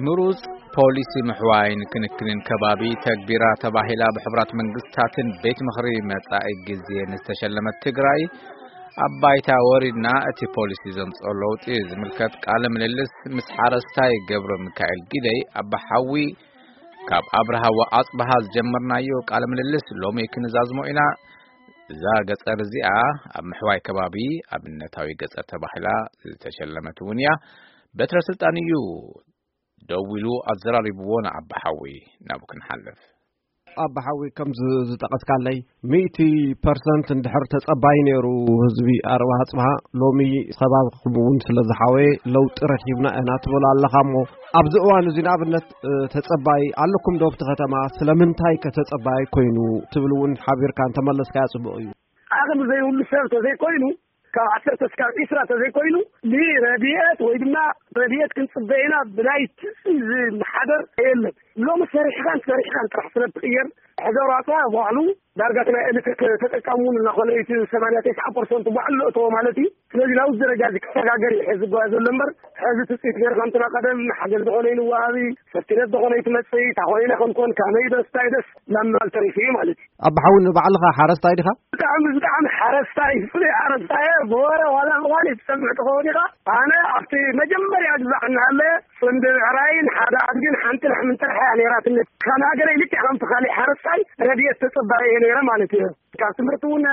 ምሩጽ ፖሊሲ ምሕዋይን ክንክንን ከባቢ ተግቢራ ተባሂላ ብሕቡራት መንግስታትን ቤት ምኽሪ መጻኢ ግዜ ንዝተሸለመት ትግራይ፣ ኣብ ባይታ ወሪድና እቲ ፖሊሲ ዘምጽኦ ለውጢ ዝምልከት ቃለ ምልልስ ምስ ሓረስታይ ገብረ ሚካኤል ጊደይ፣ ኣባ ሓዊ ካብ ኣብርሃ ወኣጽብሃ ዝጀመርናዮ ቃለ ምልልስ ሎሚ ክንዛዝሞ ኢና። እዛ ገጸር እዚኣ ኣብ ምሕዋይ ከባቢ ኣብነታዊ ገጸር ተባሂላ ዝተሸለመት እውን እያ። በትረ ስልጣን እዩ ደው ኢሉ ኣዘራሪብዎ ንኣባ ሓዊ። ናብኡ ክንሓልፍ። ኣባ ሓዊ፣ ከም ዝ-፣ ዝጠቐስካለይ፣ ሚእቲ ፐርሰንት እንድሕር ተጸባይ ነይሩ ህዝቢ ኣርባ ኣጽብሃ፣ ሎሚ ከባቢኹም እውን ስለ ዝሓወየ ለውጢ ረኺብና ኢና ትብል ኣለኻ እሞ፣ ኣብዚ እዋን እዚ ንኣብነት፣ እ፣ ተጸባይ ኣለኩም ዶ ኣብቲ ከተማ? ስለምንታይ ከ ተጸባይ ኮይኑ ትብል እውን ሓቢርካ እንተመለስካያ ጽቡቕ እዩ። ዓቕሚ ዘይብሉ ሰብ ተዘይኮይኑ፣ ካብ ዓሰርተ እስካብ ዒስራ ተዘይኮይኑ፣ ብረድኤት ወይ ድማ ረድኤት ክንጽበ ኢና ብናይ ትጽቢት ዝመሓደር የለን። ሎሚ ሰሪሕኻን ሰሪሕኻን ጥራሕ ስለ እትቕየር፣ ሕዘር ኣጽዋ ባዕሉ ዳርጋ እቲ ናይ ኤሌክትሪክ ተጠቃሚ እውን እናኾነ እዩ፣ እቲ ሰማንያ ተስዓ ፐርሰንት ባዕሉ ለእተዎ ማለት እዩ። ስለዚ ናብዚ ደረጃ እዚ ክሰጋገር እዩ ሕዚ ዝጓየ ዘሎ እምበር፣ ሕዚ ትጽቢት ገይርካ እንትና ቀደም ሓገዝ ዝኾነ ይንወሃቢ፣ ሰፍትነት ዝኾነ ይትመጽእ፣ እንታይ ኮይነ ከምኮን፣ ካመይ ደስ፣ እንታይ ደስ፣ ናብ ምባል ተሪፉ እዩ ማለት እዩ። ኣባ ሓዊ፣ ንባዕልኻ ሓረስታይ ዲኻ? ብጣዕሚ፣ ብጣዕሚ ሓረስታይ፣ ፍሉይ ሓረስታይ እየ። ብወረ ዋላ ምዃን ትሰምዕ ትኸውን ኢኻ። ኣነ ኣብቲ መጀመርያ ግዛዕ እናሃለ፣ ፍንዲ ብዕራይን ሓደ ኣድግን ሓንቲ ላሕምን ጥራሕ እያ ነይራትኒ። ከም ሃገረይ ልክዕ ከምቲ ካሊእ ሓረስታይ ረድኤት ተጸባኢ እየ ነይረ ማለት እዩ። ካብ ትምህርቲ እውን፣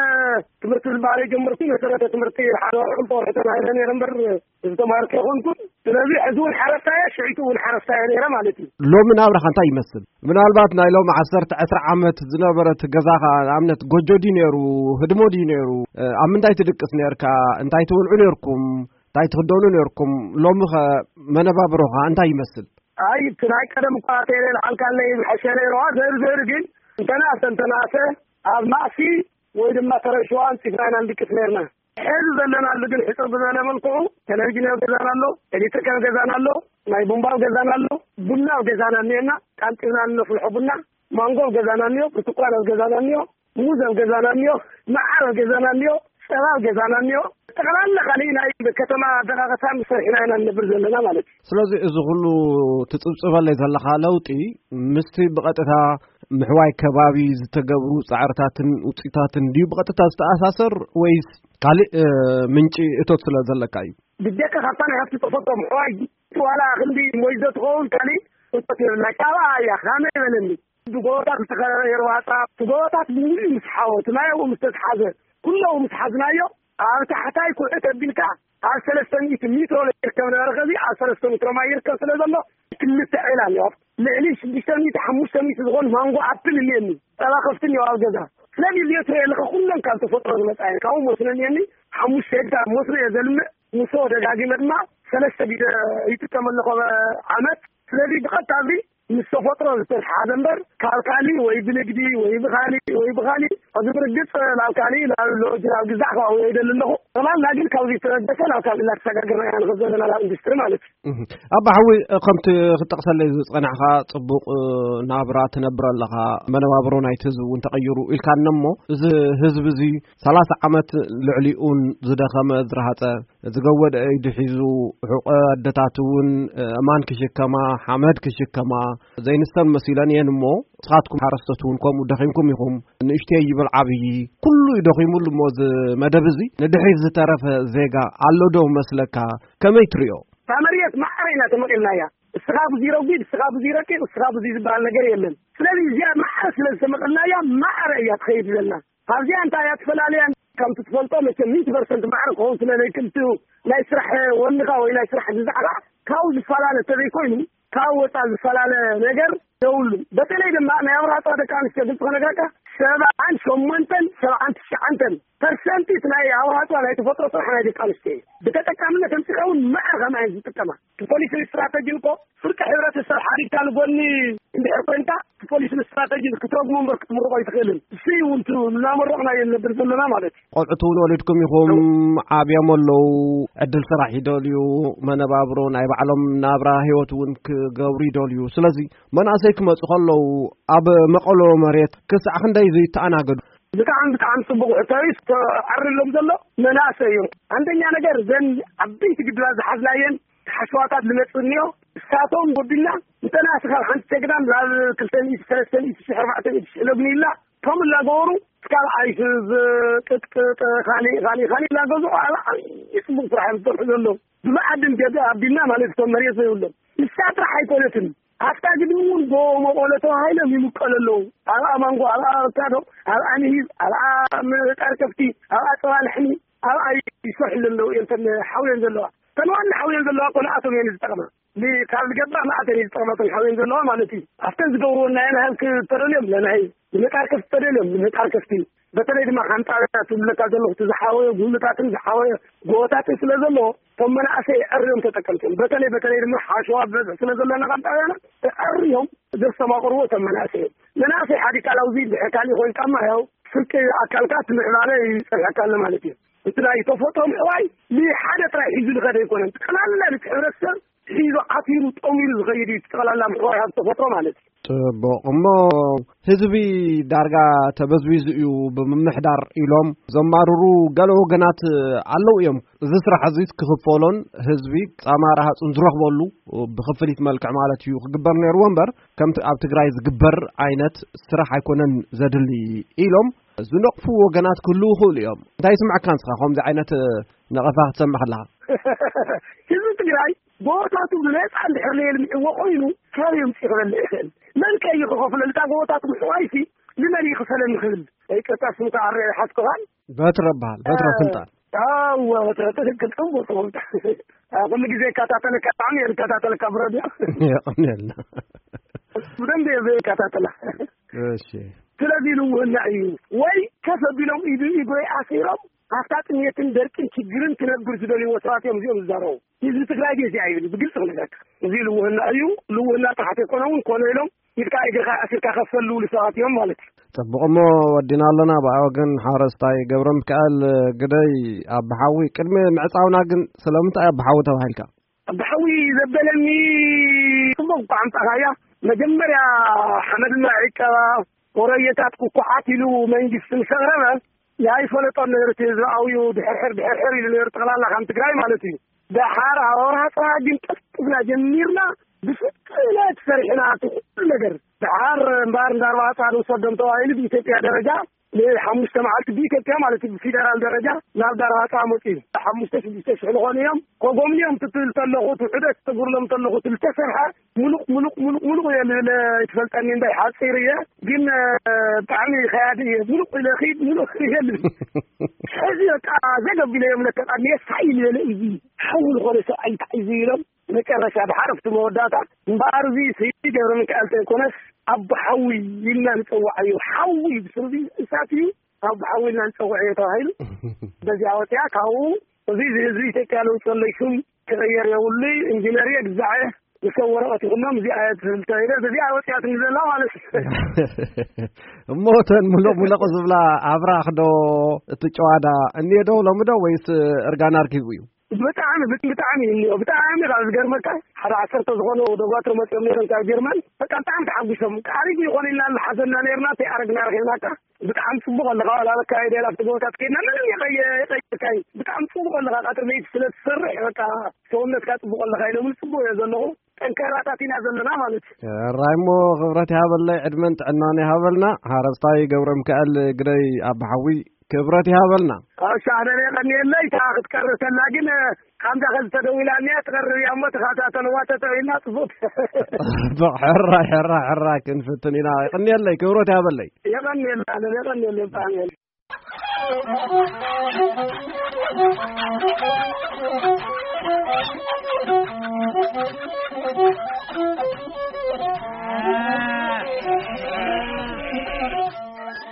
ትምህርቲ ዝበሃል ጀመርኩ፣ መሰረተ ትምህርቲ ሓደ ወርሒ ክልተ ወርሒ ተማሂረ ነይረ እምበር፣ ዝተማሃርኩ ኣይኮንኩን። ስለዚ ሕዚ እውን ሓረስታይ እየ፣ ሽዒቱ እውን ሓረስታይ እየ ነይረ ማለት እዩ። ሎሚ ናብራኻ እንታይ ይመስል? ምናልባት ናይ ሎሚ ዓሰርተ ዕስራ ዓመት ዝነበረት ገዛኻ፣ ንኣብነት ጎጆ ድዩ ነይሩ? ህድሞ ድዩ ነይሩ? እ፣ ኣብ ምንታይ ትድቅስ ነይርካ? እንታይ ትበልዑ ነይርኩም? እንታይ ትኽደኑ ነይርኩም? ሎሚኸ መነባብሮኻ እንታይ ይመስል? ኣይ፣ እቲ ናይ ቀደም እኳ ተይረ ልዓልካለይ ምሐሸ ነይርዋ። ዘር ዘር ግን እንተናሰ፣ እንተናሰ ኣብ ማእሲ ወይ ድማ ተረሽዋ ኣንጺፍና ኢና ንድቅስ ነይርና። ሕዚ ዘለናሉ ግን ሕጽር ብዝበለ መልክዑ ቴሌቪዥን ኣብ ገዛና ኣሎ፣ ኤሌክትሪክ ኣብ ገዛና ኣሎ፣ ናይ ቡምባ ኣብ ገዛና ኣሎ፣ ቡና ኣብ ገዛና እኒኤና፣ ቃንጢብና እነፍልሖ ቡና፣ ማንጎ ኣብ ገዛና እኒኦ፣ ብርቱኳን ኣብ ገዛና እኒኦ፣ ሙዝ ኣብ ገዛና እኒኦ፣ መዓር ኣብ ገዛና እኒኦ፣ ጸባ ኣብ ገዛና እኒኦ። ጠቕላላ ካሊእ ናይ ከተማ ኣደቃቐሳ ምስ ሰሪሕና ኢና ንነብር ዘለና ማለት እዩ። ስለዚ እዚ ኩሉ ትጽብጽበለይ ዘለኻ ለውጢ ምስቲ ብቐጥታ ምሕዋይ ከባቢ ዝተገብሩ ጻዕርታትን ውጽኢታትን ድዩ ብቐጥታ ዝተኣሳሰር ወይስ ካልእ፣ እ፣ ምንጪ እቶት ስለ ዘለካ እዩ? ብጀካ ካብታ ናይ ሃፍቲ ተፈጥሮ ምሕዋይ ዋላ ክንዲ ሞይዞ ትኸውን ካልእ እቶት የብልና። ካባኣ እያ፣ ካመይ በለኒ። ብጎቦታት ዝተኸበበ የርዋጻ፣ እቲ ጎቦታት ብምሉኡ ምስ ሓወ፣ እቲ ማይ ኣብኡ ምስ ተትሓዘ፣ ኩሉ ምስ ሓዝናዮ፣ ኣብ ታሕታይ ኩዕት ኣቢልካ ኣብ ሰለስተ ሚእቲ ሜትሮ ይርከብ ነበረ። ከዚ ኣብ ሰለስተ ሜትሮ ማይ ይርከብ ስለ ዘሎ፣ ክልተ ዒላ እኒኦ። ልዕሊ ሽዱሽተ ሚእቲ፣ ሓሙሽተ ሚእቲ ዝኾን ማንጎ ኣፕል እኒአኒ። ጸባ ከፍቲ እኒኦ ኣብ ገዛ። ስለዚ እዚኦ ትሪኦ ኣለኻ፣ ኩለን ካብ ተፈጥሮ ዝመጻ እየን። ካብኡ መስኖ እኒአኒ፣ ሓሙሽተ ሄክታር መስኖ እየ ዘልምዕ። ንሶ ደጋጊመ ድማ ሰለስተ ግዜ ይጥቀም ኣለኹ ኣብ ዓመት። ስለዚ ብቐጥታ ኣብዚ ምስ ተፈጥሮ ዝተተሓሓዘ እምበር፣ ካብ ካሊእ ወይ ብንግዲ ወይ ብኻሊእ ወይ ብኻሊእ፣ እዚ ብርግጽ ናብ ካሊእ፣ ናብ ሎጅ፣ ናብ ግዛዕ ከባቢ ኣይደሊ ኣለኹ። ጠቕላላ ግን ካብዚ ዝተበገሰ ናብ ካልእ እናተሰጋገርና ኢና ንኸድ ዘለና ናብ ኢንዱስትሪ ማለት እዩ። እህ። ኣባ ሓዊ፣ ከምቲ ክትጠቕሰለይ ዝጸናሕካ ጽቡቕ፣ እ፣ ናብራ ትነብር ኣለኻ፣ መነባብሮ ናይቲ ህዝቢ እውን ተቐይሩ ኢልካኒ እሞ፣ እዚ ህዝቢ እዚ ሰላሳ ዓመት ልዕሊኡን ዝደኸመ፣ ዝረሃጸ፣ ዝገወደ ኢዱ ሒዙ፣ ሕቆ ኣደታት እውን፣ እ፣ እማን ክሽከማ፣ ሓመድ ክሽከማ፣ ዘይንስተን መሲለን እየን እሞ፣ ንስኻትኩም ሓረስቶት እውን ከምኡ ደኺምኩም ኢኹም። ንእሽተይ ይበል ዓብዪ፣ ኩሉ እዩ ደኺሙሉ እሞ፣ እዚ መደብ እዚ ንድሕሪት ዝተረፈ ዜጋ ኣሎ ዶ መስለካ? ከመይ ትሪኦ? እታ መሬት ማዕረ ኢና ተመቒልናያ። እስኻ ብዙይ ረጒድ፣ እስኻ ብዙይ ረቂቕ፣ እስኻ ብዙይ ዝበሃል ነገር የለን። ስለዚ እዚኣ ማዕረ ስለ ዝተመቐልናያ፣ ማዕረ እያ ትኸይድ ዘላ። ኣብዚኣ እንታይ እያ ትፈላለያ? ከምቲ ትፈልጦ መቸም ሚእቲ ፐርሰንት ማዕረ ክኸውን ስለ ዘይክእል፣ ናይ ስራሕ ወንኻ ወይ ናይ ስራሕ ግዛዕኻ ካብኡ ዝፈላለ እንተዘይኮይኑ፣ ካብኡ ወፃእ ዝፈላለ ነገር የብሉን። በተለይ ድማ ናይ ኣብርሃ ደቂ ኣንስትዮ ግልፂ ክነግረካ፣ ሰብዓን ሸሞንተን፣ ሰብዓን ትሽዓንተን ፐርሰንቲት ናይ ኣዋፅኦ ናይ ተፈጥሮ ስራሕ ናይ ደቂ ኣንስትዮ እዩ። ብተጠቃምነት ኣምፂኻ እውን መዓር ከማይ ዝጥቀማ። ብፖሊሲ ስትራተጂ እኮ ፍርቂ ሕብረተሰብ ሓዲግካ ንጎኒ እንድሕር ኮይንካ፣ ብፖሊሲ ስትራተጂ ክትረጉሞ እምበር ክትምርቆ ኣይትኽእልን። እሱ እውን እናመረቕና እዮም ነበር ዘለና ማለት እዩ። ቆልዑት እውን ወሊድኩም ኢኹም፣ ዓብዮም ኣለዉ፣ ዕድል ስራሕ ይደልዩ፣ መነባብሮ ናይ ባዕሎም ናብራ ህይወት እውን ክገብሩ ይደልዩ። ስለዚ መናእሰይ ክመፁ ከለዉ ኣብ መቐሎ መሬት ክሳዕ ክንደይ ዘይተኣናገዱ? ብጣዕሚ ብጣዕሚ ፅቡቕ ሕቶ እዩ። ተዓርሎም ዘሎ መናእሰይ እዮም። አንደኛ ነገር ዘን ዓበይቲ ግድባት ዝሓዝናየን ሓሸዋታት ዝመፅእ እኒኦ፣ እሳቶም ጎዲልና እንተናስኻ ሓንቲ ጀግና ናብ ክልተ ሚእቲ፣ ሰለስተ ሚእቲ ሺሕ፣ ኣርባዕተ ሚእቲ ሺሕ ለግኒላ፣ ከም እናገበሩ እስካብ ኣይስዝ፣ ቅጥቅጥ፣ ካሊእ፣ ካሊእ፣ ካሊእ እናገዝኡ ኣብ ዓብዪ ፅቡቕ ስራሕ እዮም ዝሰርሑ ዘለዉ። ብመዓድን ገዛ ኣቢልና ማለት እቶም መሬት ዘይብሎም። ንሳ ጥራሕ ኣይኮነትን። ኣብታ ግድሚ እውን ጎቦ መቐሎ ተባሂሎም ይምቀሉ ኣለዉ። ኣብ ኣማንጎ፣ ኣብ ኣቮካዶ፣ ኣብ ኣንሂብ፣ ኣብ ምጣር ከፍቲ፣ ኣብ ኣፀባ ላሕሚ፣ ኣብኣ ይሰርሑ ዘለዉ እዮም። እተን ሓውየን ዘለዋ፣ እተን ዋና ሓውየን ዘለዋ እኮ ንኣቶም እየን ዝጠቕማ። ን-፣ ካብ ዝገባ ንኣተን እየን ዝጠቕማ፣ እተን ሓውየን ዘለዋ ማለት እዩ። ኣብተን ዝገብርዎ ናይ ንሃብ ክተደልዮም ለናሂብ፣ ንምጣር ከፍቲ ተደልዮም ንምጣር ከፍቲ። በተለይ ድማ ሓንጣ ትብለካ ዘለኹ፣ እቲ ዝሓወየ ጉልታትን ዝሓወየ ጎቦታትን ስለ ዘለዎ፣ እቶም መናእሰይ ኣዕርዮም ተጠቀምቲ እዮም። በተለይ፣ በተለይ ድማ ሓሸዋ ብበዝሒ ስለ ዘለና ካብ ጣብያና ኣዕርዮም ዘስተማቕርዎ እቶም መናእሰይ እዮም። መናእሰይ ሓዲካ ላውዚ ድሕር ካሊእ ኮይንካማ ያው ፍርቂ ኣካልካ እቲ ምዕባለ ይጸንሐካ ኣሎ ማለት እዩ። እቲ ናይ ተፈጥሮ ምዕባይ ንሓደ ጥራይ ሒዙ ዝኸደ ኣይኮነን። ጠቕላላ ነቲ ሕብረተሰብ ሒዙ ዓቲሩ ጠሚሩ ዝኸይድ እዩ። እቲ ጠቕላላ ምዕባይ ኣብ ተፈጥሮ ማለት እዩ። ጽቡቕ። እሞ ህዝቢ ዳርጋ ተበዝቢዙ እዩ ብምምሕዳር ኢሎም ዘማርሩ ገለ ወገናት ኣለዉ እዮም። እዚ ስራሕ እዚ ክኽፈሎን ህዝቢ ጻማ ረሃጹን ዝረኽበሉ ብኽፍሊት መልክዕ ማለት እዩ ክግበር ነይርዎ እምበር፣ ከምቲ ኣብ ትግራይ ዝግበር ዓይነት ስራሕ ኣይኮነን ዘድሊ ኢሎም ዝነቕፉ ወገናት ክህልዉ ይኽእሉ እዮም። እንታይ ይስምዐካ ንስኻ ከምዚ ዓይነት ነቐፋ ክትሰምዕ ከለኻ? ህዝቢ ትግራይ ጎቦታቱ ብነፃ እንድሕር ዘየልምዕዎ ኮይኑ፣ ካበይ ኣምፂኡ ክበልዕ ይኽእል? መን ከ እዩ ክኸፍለሉ? እታ ጎቦታቱ ምሕዋይሲ ንመን እዩ ክፈለኒ ክብል? ይቅርታ፣ ስምካ ኣረ ሓስኩኻን? በትረ በሃል፣ በትረ ስልጣን። ኣወ፣ በትረ ትክክል፣ ጽቡቅ፣ ጽቡቅ። አ፣ ኩሉ ግዜ ይከታተለካ፣ ብጣዕሚ እየ ዝከታተለካ ብረድዮ። የቐንየልና። ብደንብ እየ ዝከታተላ። እሺ። ስለዚ ልውህና እዩ። ወይ ከፍ ኣቢሎም ኢዱ፣ ኢጎ ኣሲሮም፣ ኣብታ ጥሜትን ደርቅን ችግርን ክነብር ዝደልይዎ ሰባት እዮም እዚኦም ዝዛረቡ። ህዝቢ ትግራይ ግን እዚኣ ይብል፣ ብግልፂ ክነግረካ። እዚ ልውህና እዩ። ልውህና ጥሓት የኮነ እውን ኮነ ኢሎም ኢድካ እግርካ ኣሲርካ ከፈል ዝብሉ ሰባት እዮም ማለት እዩ። ጽቡቕ፣ እሞ ወዲና ኣለና። ብኣ ወገን ሓረስታይ ገብረ ሚካኤል ግደይ ኣባሓዊ፣ ቅድሚ ምዕጻውና ግን ስለምንታይ ኣባሓዊ ተባሂልካ? ኣባሓዊ ዘበለኒ ጽቡቕ እኳ ኣምጻኻያ። መጀመርያ ሓመድና ዒቀባ፣ ወረየታት ኩኩሓት ኢሉ መንግስቲ ምስ ኣቕረበ፣ ኣይፈለጦን ነይሩ እቲ ህዝቢ ኣብዩ ድሕርሕር ድሕርሕር ኢሉ ነይሩ፣ ጠቕላላ ከም ትግራይ ማለት እዩ። ደሓር ኣብ ወርሃ ጥራ ግን ቀልጢፍና ጀሚርና፣ ብፍጥነት ሰሪሕና እቲ ኩሉ ነገር። ደሓር እምበኣር እንዳ ኣርባዕተ ንውሰዶም ተባሂሉ ብኢትዮጵያ ደረጃ ንሓሙሽተ መዓልቲ ብኢትዮጵያ ማለት እዩ፣ ብፌደራል ደረጃ ናብ ዳርባፃ መፅኡ። ሓሙሽተ ሽዱሽተ ሽሕ ዝኾኑ እዮም። ኮጎምንዮም ትብል ተለኹ፣ እቲ ውሕደት ተጉርሎም ተለኹ፣ እቲ ዝተሰርሐ ሙሉቕ፣ ሙሉቕ፣ ሙሉቕ፣ ሙሉቕ እየ ልብል፣ ኣይትፈልጠኒ እንታይ ሓፂር እየ፣ ግን፣ እ፣ ብጣዕሚ ከያዲ እየ። ሙሉቕ ኢለ ኺድ፣ ሙሉቕ እየ ልብል። ሕዚ በቃ ዘገብ ኢለ እዮም ለከ ቃል የሳይ ዝበለ እዚ ሓው ዝኾነ ሰብኣይ እንታይ እዚ ኢሎም መጨረሻ ድሓር ኣብቲ መወዳእታ እምበኣር እዚ ስይዲ ገብረ ሚካኤል ተይኮነስ ኣቦ ሓዊ ኢልና ንፀዋዓዮ። ሓዊ ብስሩ እዚ እሳት እዩ፣ ኣቦ ሓዊ ኢልና ንፀውዐዮ ተባሂሉ። በዚኣ ወፂኣ ካብኡ እዚ ህዝቢ ኢትዮጵያ ለውጢ የለይ፣ ሽም ክቕየር የብሉይ፣ ኢንጂነር እየ ግዛዐ፣ ንሰብ ወረቐት ይኹኖም፣ እዚኣ እየ ትብል ተባሂለ፣ በዚኣ ወፂኣትኒ ዘላ ማለት እዩ። እሞ እተን ሙሉቕ ሙሉቕ ዝብላ ኣብራኽ ዶ እቲ ጨዋዳ እኒኤ ዶ ሎሚ ዶ ወይስ እርጋን ኣርኪቡ እዩ? ብጣዕሚ፣ ብጣዕሚ እዩ እኒኦ። ብጣዕሚ ካብ ዝገርመካ፣ ሓደ ዓሰርተ ዝኾኑ ደጓትር መፂኦም ነይሮም ካብ ጀርመን። በቃ ብጣዕሚ ተሓጒሶም። ዓሪጉ ይኾን ኢልና እናሓሰብና ነይርና፣ ተይኣረግና ረኺብናካ። ብጣዕሚ ፅቡቕ ኣለኻ። ዋላ ኣብ ኣካይዳ ኢላ ኣብቲ ጎቦታት ከይድና ምንም የቐየ-፣ የቐየርካይ። ብጣዕሚ ፅቡቕ ኣለኻ። ቀትሪ ለይቲ ስለ ትሰርሕ በቃ ሰውነትካ ፅቡቕ ኣለኻ ኢሎምኒ። ፅቡቕ እየ ዘለኹ። ጠንካራታት ኢና ዘለና ማለት እዩ። ሕራይ እሞ ክብረት ይሃበለይ፣ ዕድመን ጥዕናን ይሃበልና። ሓረስታይ ገብረ ሚካኤል ግደይ ኣባሓዊ ክብረት ይሃበልና። እሺ፣ ኣነ የቐንየለይ። እታ ክትቀርብ ከላ ግን፣ ከምዛ ከዚ ተደዊላ እኒኣ ትቐርብ እያ እሞ ተኸታተልዋ ተተኺልና ጽቡቕ። ጽቡቕ፣ ሕራይ፣ ሕራይ፣ ሕራይ ክንፍትን ኢና። የቐንየለይ፣ ክብረት ይሃበለይ። የቐንየልና፣ ኣነ የቐንየለይ ብጣዕሚ።